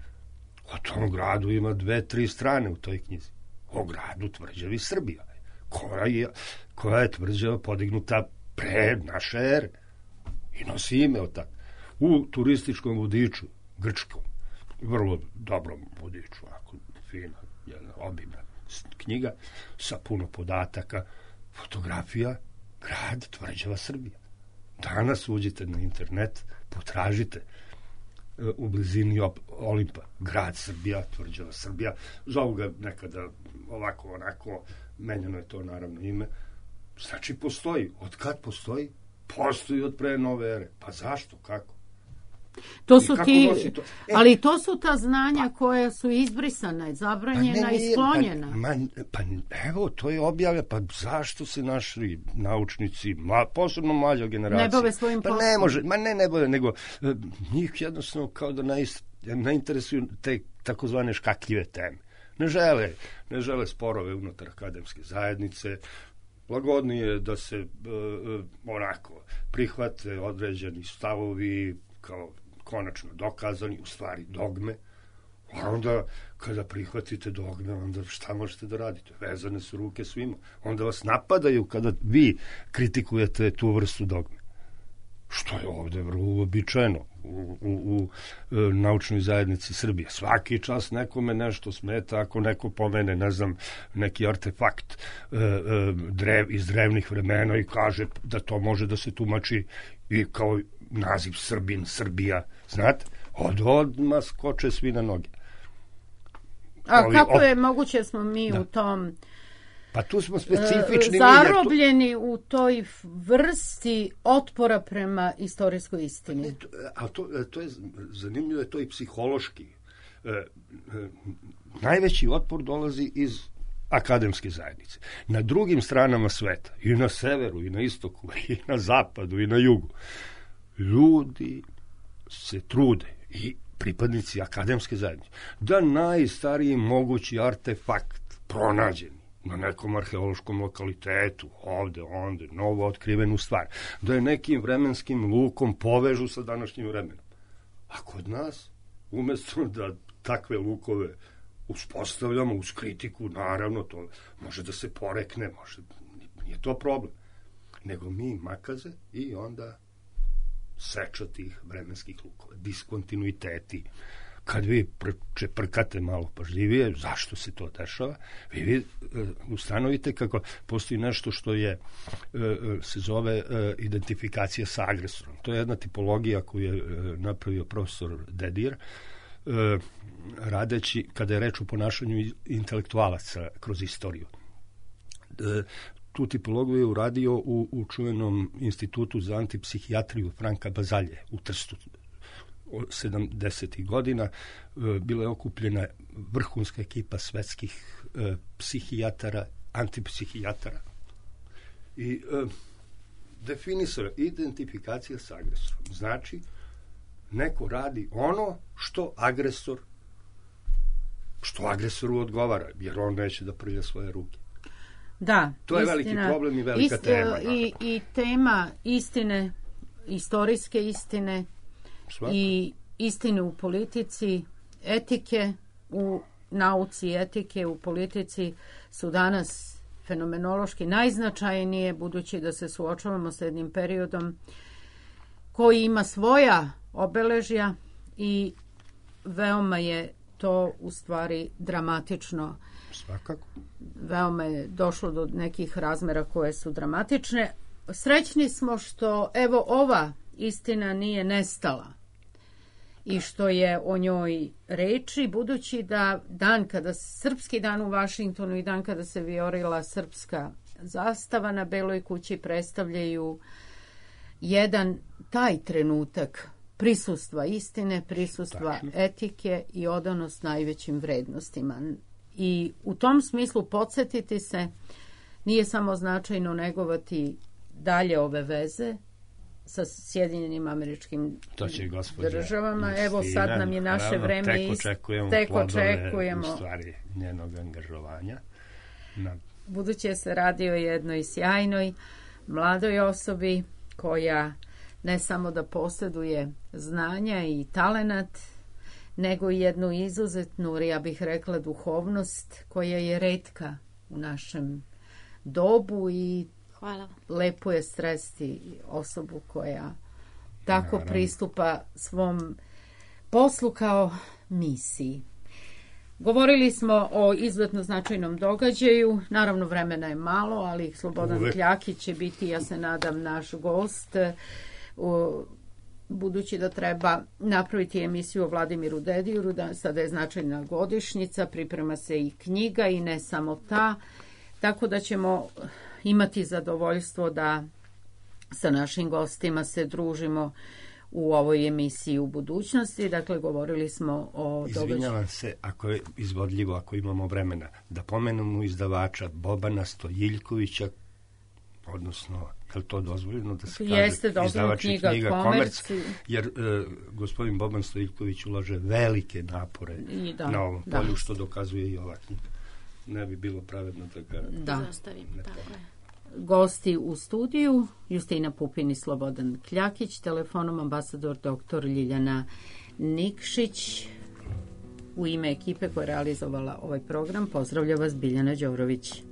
O tom gradu ima dve, tri strane u toj knjizi. O gradu tvrđavi Srbija, koja je, koja je tvrđava podignuta pre naše ere i nosi ime od tako. U turističkom vodiču, grčkom, vrlo dobrom vodiču, ako fina, jedna obimna knjiga, sa puno podataka, fotografija, grad tvrđava Srbija. Danas uđite na internet, potražite u blizini Olimpa, grad Srbija, tvrđava Srbija, zovu ga nekada ovako, onako, menjano je to naravno ime. Znači postoji. Od kad postoji? Postoji od pre nove ere. Pa zašto? Kako? To su ti, to? E, ali to su ta znanja pa, koja su izbrisana, zabranjena pa ne, i sklonjena. Pa, ma, pa evo, to je objavlja, pa zašto se naši naučnici, ma, posebno mlađa generacija, ne bave svojim pa poslom? Ne može, ma ne, ne bave, nego njih jednostavno kao da ne, ne interesuju te takozvane škakljive teme. Ne žele, ne žele sporove unutar akademske zajednice, lagodnije da se uh, onako prihvate određeni stavovi kao konačno dokazani, u stvari dogme. A onda kada prihvatite dogme, onda šta možete da radite? Vezane su ruke svima. Onda vas napadaju kada vi kritikujete tu vrstu dogme. što je ovde vrlo uobičajeno u, u, u naučnoj zajednici Srbije. Svaki čas nekome nešto smeta ako neko pomene, ne znam, neki artefakt e, e, drev, iz drevnih vremena i kaže da to može da se tumači i kao naziv Srbin, Srbija, znate? Od odmah skoče svi na noge. A Ovi, kako op... je moguće da smo mi da. u tom pa tu smo specifični zarobljeni u toj vrsti otpora prema istorijskoj istini? Ne, to, a to, to je zanimljivo, je to i psihološki. E, e, najveći otpor dolazi iz akademske zajednice. Na drugim stranama sveta, i na severu, i na istoku, i na zapadu, i na jugu, ljudi se trude i pripadnici akademske zajednice da najstariji mogući artefakt pronađeni na nekom arheološkom lokalitetu, ovde, onde, novo otkrivenu stvar, da je nekim vremenskim lukom povežu sa današnjim vremenom. A kod nas, umesto da takve lukove uspostavljamo uz kritiku, naravno, to može da se porekne, može, nije to problem. Nego mi makaze i onda seča tih vremenskih lukova, diskontinuiteti. Kad vi čeprkate malo pažljivije, zašto se to dešava, vi, vi ustanovite kako postoji nešto što je, se zove identifikacija sa agresorom. To je jedna tipologija koju je napravio profesor Dedijer, radeći, kada je reč o ponašanju intelektualaca kroz istoriju. Tu tipologiju je uradio u, u čuvenom institutu za antipsihijatriju Franka Bazalje u Trstu. sedamdesetih godina bila je okupljena vrhunska ekipa svetskih e, psihijatara, antipsihijatara i e, definisala identifikacija sa agresorom. Znači, neko radi ono što agresor što agresoru odgovara, jer on neće da prlja svoje ruke. Da, to je istina, veliki problem i velika ist, tema. I, I tema istine, istorijske istine, svako. I istine u politici, etike u nauci, etike u politici su danas fenomenološki najznačajnije, budući da se suočavamo sa jednim periodom koji ima svoja obeležja i veoma je to u stvari dramatično. Svakako. Veoma je došlo do nekih razmera koje su dramatične. Srećni smo što evo ova istina nije nestala i što je o njoj reči, budući da dan kada srpski dan u Vašingtonu i dan kada se vijorila srpska zastava na Beloj kući predstavljaju jedan taj trenutak prisustva istine, prisustva Tačno. etike i odanost najvećim vrednostima. I u tom smislu podsjetiti se nije samo značajno negovati dalje ove veze sa Sjedinjenim Američkim državama. Justina, evo sad nam je naše naravno, vreme tek očekujemo tek plodove, očekujemo u stvari njenog angažovanja. Na... Budući se radi o jednoj sjajnoj mladoj osobi koja ne samo da posjeduje znanja i talenat, nego i jednu izuzetnu, ja bih rekla, duhovnost koja je retka u našem dobu i Hvala. Lepo je sresti osobu koja tako Naravno. pristupa svom poslu kao misiji. Govorili smo o izuzetno značajnom događaju, naravno vremena je malo, ali Slobodan Uvek. Kljakić će biti, ja se nadam, naš gost, u, budući da treba napraviti emisiju o Vladimiru Dedijeru, da sada je značajna godišnjica, priprema se i knjiga i ne samo ta, tako da ćemo imati zadovoljstvo da sa našim gostima se družimo u ovoj emisiji u budućnosti. Dakle, govorili smo o događaju. Izvinjavam se, ako je izvodljivo, ako imamo vremena, da pomenemo izdavača Bobana Stojiljkovića, odnosno, je li to dozvoljeno da se Jeste, kaže izdavač knjiga, knjiga Komerc, Komerc, jer e, gospodin Boban Stojiljković ulaže velike napore da, na ovom da. polju, što dokazuje i ova knjiga. Ne bi bilo pravedno da ga da. zastavim. Tako je. Gosti u studiju Justina Pupin i Slobodan Kljakić, telefonom ambasador doktor Ljiljana Nikšić. U ime ekipe koja je realizovala ovaj program pozdravlja vas Biljana Đorović.